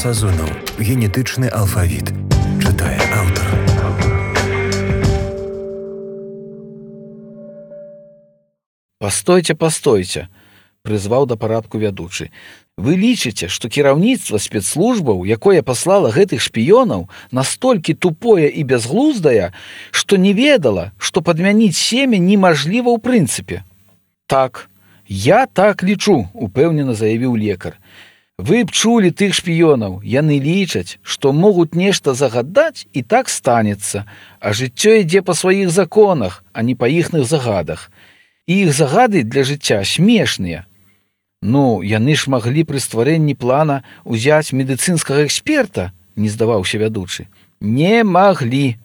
Сазонаў. Генетычны алфавіт. Чытае аўтар. Пастойце, прызваў да парадку вядучы. Вы лічыце, што кіраўніцтва спецслужбаў, якое паслала гэтых шпіёнаў, настолькі тупое і бязглуздае, што не ведала, што падмяніць семя немажліва ў прынцыпе. Так, я так лічу, упэўнена заявіў лекар. Вы б чулі тых шпіёнаў, яны лічаць, што могуць нешта загадаць і так станецца, а жыццё ідзе па сваіх законах, а не па іхных загадах. І іх загады для жыцця смешныя. Ну, яны ж маглі пры стварэнні плана ўзяць медыцынскага эксперта, не здаваўся вядучы. Не маглі,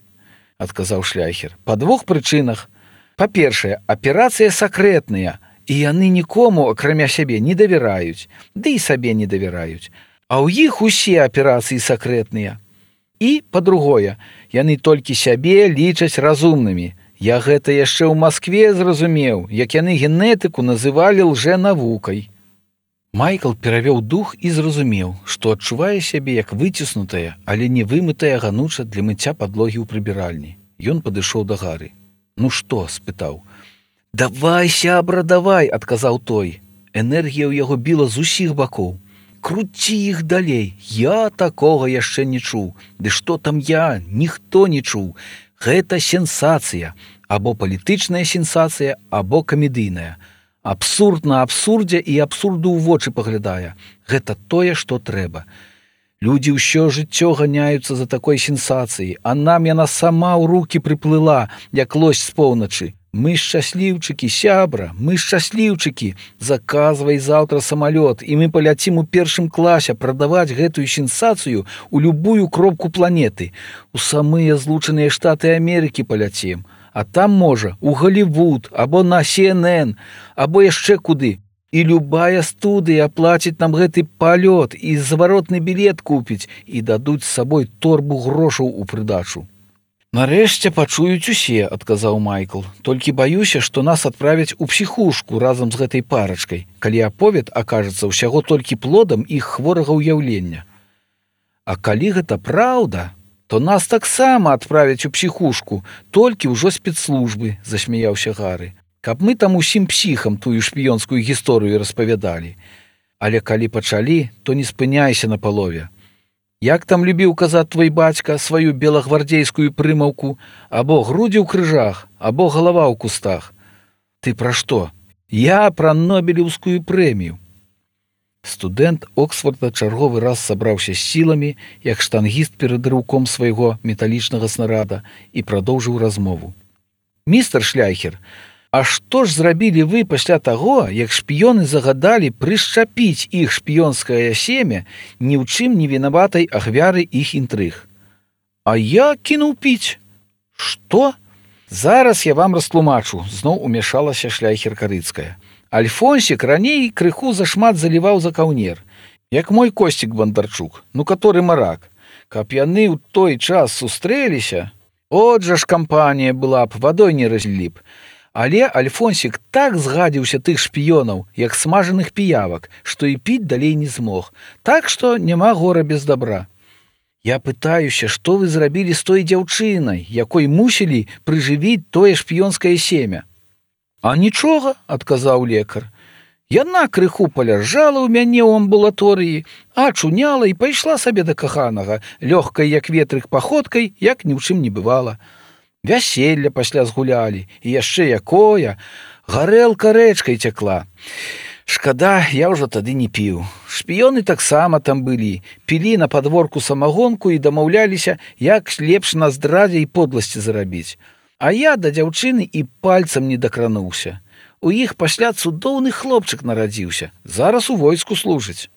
адказаў Шляхер, па двух прычынах. Па-першае, аперацыя сакрэтная, і яны нікому, акрамя сябе, не давяраюць, ды і сабе не давяраюць. А ў іх усе аперацыі сакрэтныя. І, па-другое, яны толькі сябе лічаць разумнымі. Я гэта яшчэ ў Маскве зразумеў, як яны генетыку называлі лжэнавукай. Майкл перавёў дух і зразумеў, што адчувае сябе як выціснутая, але не вымытая гануча для мыцця падлогі ў прыбіральні. Ён падышоў да Гары. Ну што? Спытаў. Давай, сябра, давай, адказаў той. Энергія ў яго біла з усіх бакоў. Круці іх далей, я такога яшчэ не чуў. Ды што там я, ніхто не чуў. Гэта сенсацыя, або палітычная сенсацыя, або камедыйная. Абсурд на абсурдзе і абсурду ў вочы паглядае. Гэта тое, што трэба. Людзі ўсё жыццё ганяюцца за такой сенсацыяй, а нам яна сама ў рукі прыплыла, як лось з поўначы. Мы шчасліўчыкі, сябра, мы шчасліўчыкі. Заказвай заўтра самалёт, і мы паляцім у першым класе прадаваць гэтую сенсацыю ў любую кропку планеты. У самыя Злучаныя Штаты Амерыкі паляцім. А там, можа, у Голлівуд, або на CNN, або яшчэ куды. І любая студыя аплаціць нам гэты палёт, і заваротны білет купіць, і дадуць з сабой торбу грошаў у прыдачу. Нарэшце пачуюць усе, адказаў Майкл. Толькі баюся, што нас адправяць у псіхушку разам з гэтай парачкай, калі аповед акажацца ўсяго толькі плодам іх хворага ўяўлення. А калі гэта праўда, то нас таксама адправяць у псіхушку, толькі ўжо спецслужбы, засмяяўся Гары, каб мы там усім псіхам тую шпіёнскую гісторыю распавядалі. Але калі пачалі, то не спыняйся на палове. Як там любіў казаць твой бацька сваю белагвардзейскую прымаўку, або грудзі ў крыжах, або галава ў кустах. Ты пра што? Я пра Нобелеўскую прэмію. Студэнт Оксфорда чарговы раз сабраўся з сіламі, як штангіст перад рыўком свайго металічнага снарада, і прадоўжыў размову. Містер Шляхер, а што ж зрабілі вы пасля таго, як шпіёны загадалі прышчапіць іх шпіёнскае семя ні ў чым не вінаватай ахвяры іх інтрыг? А я кінуў піць. Што? Зараз я вам растлумачу, зноў умяшалася Шляхер-Карыцкая. Альфонсік раней крыху зашмат заліваў за каўнер, як мой Косцік Бандарчук, ну каторы марак. Каб яны ў той час сустрэліся, от жа ж кампанія была б, вадой не разлілі б. Але Альфонсік так згадзіўся тых шпіёнаў, як смажаных піявак, што і піць далей не змог. Так што няма гора без добра. Я пытаюся, што вы зрабілі з той дзяўчынай, якой мусілі прыжывіць тое шпіёнскае семя? А нічога, адказаў лекар. Яна крыху паляжала ў мяне ў амбулаторыі, ачуняла і пайшла сабе да каханага, лёгкай, як ветрык, паходкай, як ні ў чым не бывала. Вяселля пасля згулялі, і яшчэ якое, гарэлка рэчкай цякла. Шкада, я ўжо тады не піў. Шпіёны таксама там былі, пілі на падворку самагонку і дамаўляліся, як лепш на здрадзе і подласці зарабіць. А я да дзяўчыны і пальцам не дакрануўся. У іх пасля цудоўны хлопчык нарадзіўся, зараз у войску служыць.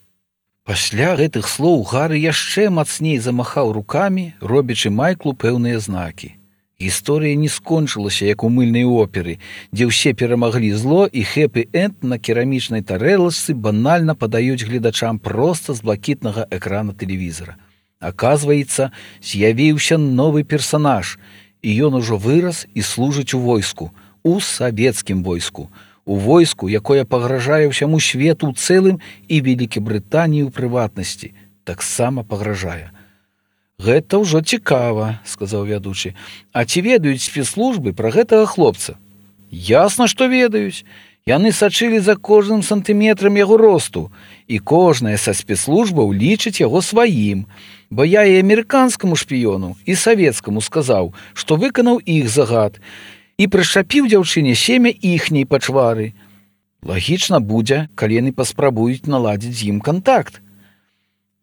Пасля гэтых слоў Гары яшчэ мацней замахаў рукамі, робячы Майклу пэўныя знакі. Гісторыя не скончылася, як у мыльнай оперы, дзе ўсе перамаглі зло і хэпі-энд на керамічнай тарэлачцы банальна падаюць гледачам проста з блакітнага экрана тэлевізара. Аказваецца, з'явіўся новы персанаж, і ён ужо вырас і служыць у войску, у савецкім войску, у войску, якое пагражае ўсяму свету ў цэлым і Вялікай Брытаніі ў прыватнасці. таксама пагражае. Гэта ўжо цікава, сказаў вядучы. А ці ведаюць спецслужбы пра гэтага хлопца? Ясна, што ведаюць. Яны сачылі за кожным сантыметрам яго росту, і кожная са спецслужбаў лічыць яго сваім, бо я і амерыканскаму шпіёну, і савецкаму сказаў, што выканаў іх загад, і прышчапіў дзяўчыне семя іхняй пачвары. Лагічна будзе, калі яны паспрабуюць наладзіць з ім кантакт.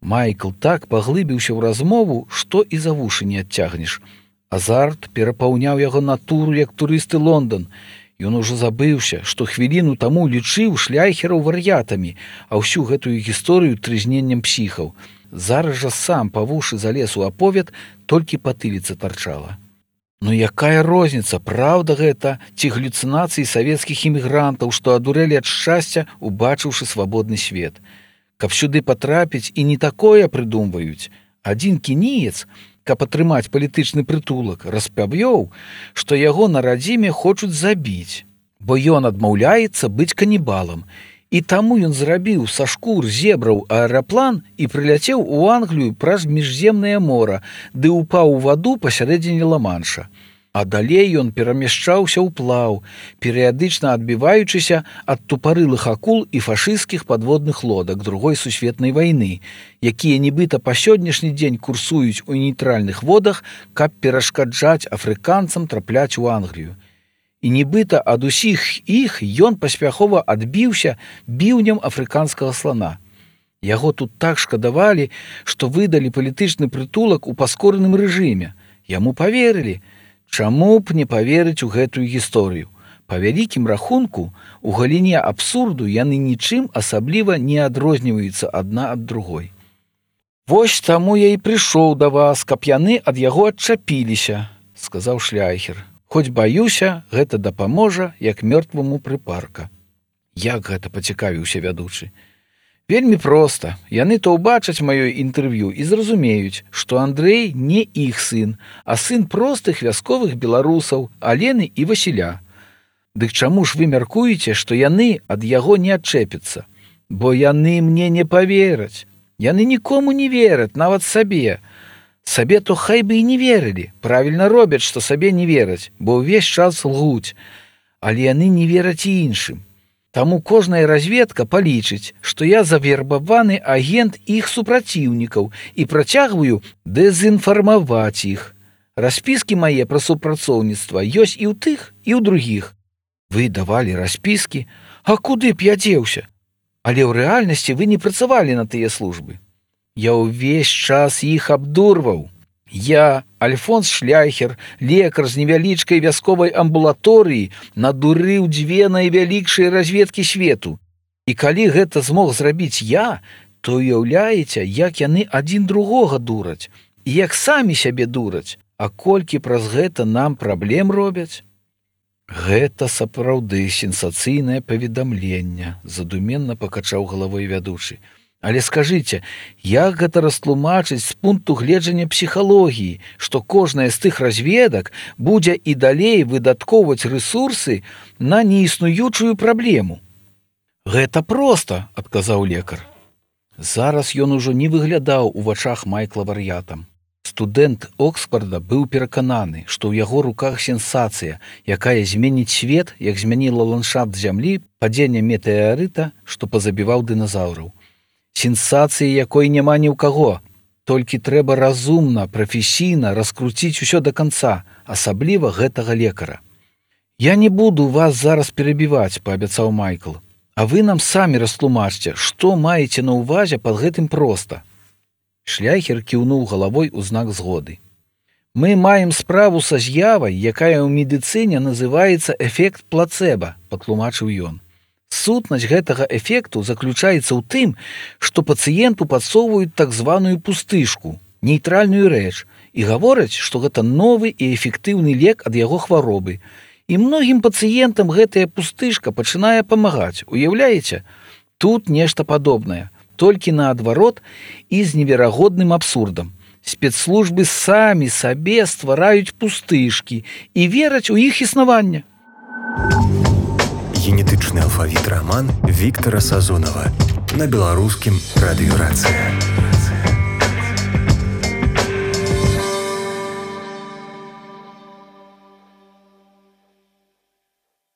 Майкл так паглыбіўся ў размову, што і за вушы не адцягнеш. Азарт перапаўняў яго натуру, як турысты Лондан. Ён ужо забыўся, што хвіліну таму лічыў шляйхераў вар'ятамі, а ўсю гэтую гісторыю трызненнем псіхаў. Зараз жа сам па вушы залез у аповед, толькі патыліца тарчала. Ну якая розніца, праўда гэта, ці галюцынацыі савецкіх імігрантаў, што адурэлі ад шчасця, убачыўшы свабодны свет. Каб сюды патрапіць і не такое прыдумваюць. Адзін кініец, каб атрымаць палітычны прытулак, распавёў, што яго на радзіме хочуць забіць, бо ён адмаўляецца быць канібалам. І таму ён зрабіў са шкур зебраў аэраплан і прыляцеў у Англію праз міжземнае мора, ды ўпаў у ваду пасярэдзіне Ла-Манша. А далей ён перамяшчаўся ў плаў, перыядычна адбіваючыся ад тупарылых акул і фашысцкіх падводных лодак Другой сусветнай вайны, якія нібыта па сённяшні дзень курсуюць у нейтральных водах, каб перашкаджаць афрыканцам трапляць у Англію. І нібыта ад усіх іх ён паспяхова адбіўся біўнем афрыканскага слана. Яго тут так шкадавалі, што выдалі палітычны прытулак у паскораным рэжыме. Яму паверылі. Чаму б не паверыць у гэтую гісторыю? Па вялікім рахунку, у галіне абсурду яны нічым асабліва не адрозніваюцца адна ад другой. Вось таму я і прыйшоў да вас, каб яны ад яго адчапіліся, сказаў шляйхер. Хоць баюся, гэта дапаможа, як мёртваму прыпарка. Як гэта, пацікавіўся вядучы? Вельмі проста. Яны то ўбачаць маё інтэрв'ю і зразумеюць, што Андрэй не іх сын, а сын простых вясковых беларусаў, Алены і Васіля. Дык чаму ж вы мяркуеце, што яны ад яго не адчэпяцца? Бо яны мне не павераць. Яны нікому не вераць, нават сабе. Сабе то хай бы і не верылі. Правільна робяць, што сабе не вераць, бо ўвесь час лгуць. Але яны не вераць і іншым. Таму кожная разведка палічыць, што я завербаваны агент іх супраціўнікаў і працягваю дэзінфармаваць іх. Распіскі мае пра супрацоўніцтва ёсць і ў тых, і ў другіх. Вы давалі распіскі? А куды б я дзеўся? Але ў рэальнасці вы не працавалі на тыя службы. Я ўвесь час іх абдурваў. Я, Альфонс Шляйхер, лекар з невялічкай вясковай амбулаторыі, надурыў дзве найвялікшыя разведкі свету. І калі гэта змог зрабіць я, то уяўляеце, як яны адзін другога дураць, і як самі сябе дураць, а колькі праз гэта нам праблем робяць? Гэта сапраўды сенсацыйнае паведамленне, задуменна пакачаў галавой вядучы. Але скажыце, як гэта растлумачыць з пункту гледжання псіхалогіі, што кожная з тых разведак будзе і далей выдаткоўваць рэсурсы на неіснуючую праблему? Гэта проста, адказаў лекар. Зараз ён ужо не выглядаў у вачах Майкла вар'ятам. Студэнт Оксфорда быў перакананы, што ў яго руках сенсацыя, якая зменіць свет, як змяніла ландшафт зямлі падзення метэарыта, што пазабіваў дыназаўраў. Сенсацыі, якой няма ні ў каго. Толькі трэба разумна, прафесійна раскруціць усё да канца, асабліва гэтага лекара. Я не буду вас зараз перабіваць, паабяцаў Майкл. А вы нам самі растлумачце, што маеце на ўвазе пад гэтым проста. Шляйхер кіўнуў галавой у знак згоды. Мы маем справу са з'явай, якая ў медыцыне называецца эфект плацэба, патлумачыў ён. Сутнасць гэтага эфекту заключаецца ў тым, што пацыенту падсоўваюць так званую пустышку, нейтральную рэч, і гавораць, што гэта новы і эфектыўны лек ад яго хваробы. І многім пацыентам гэтая пустышка пачынае памагаць. Уяўляеце? Тут нешта падобнае, толькі наадварот і з неверагодным абсурдам. Спецслужбы самі сабе ствараюць пустышкі і вераць у іх існаванне. Генетычны алфавіт раман Віктара Сазонава на беларускім радыёрацыя.